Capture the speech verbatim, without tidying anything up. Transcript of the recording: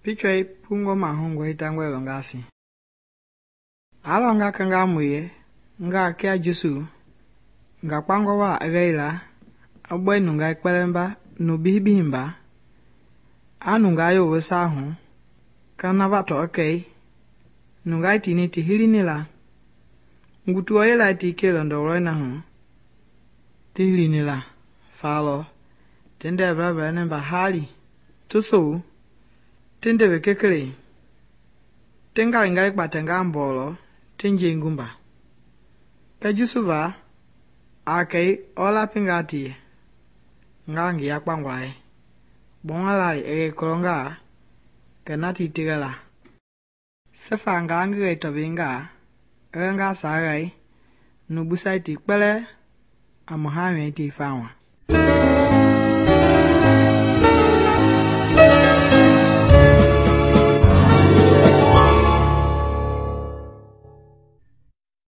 Pichoi pungo mahungo hitangwe longasi. Alonga kanga muye nga kia Jesu nga kpango wa agaila abwe nunga ikpelemba nubihibihimba anunga yo wesahu kana vato okay nunga tini ti hilinila ngutu oyela ti ke londo roina hu ti hilinila falo tende bra ne bahali tuso tende bekekele tenga ngai patenga mbolo tenje ngumba ka Jesu va akei ola pingati ngangi ya kpangwai bonga e kolonga kanati tigala sefa ngangi to binga nga sagai nubusaiti kpele amuhami ti fawa.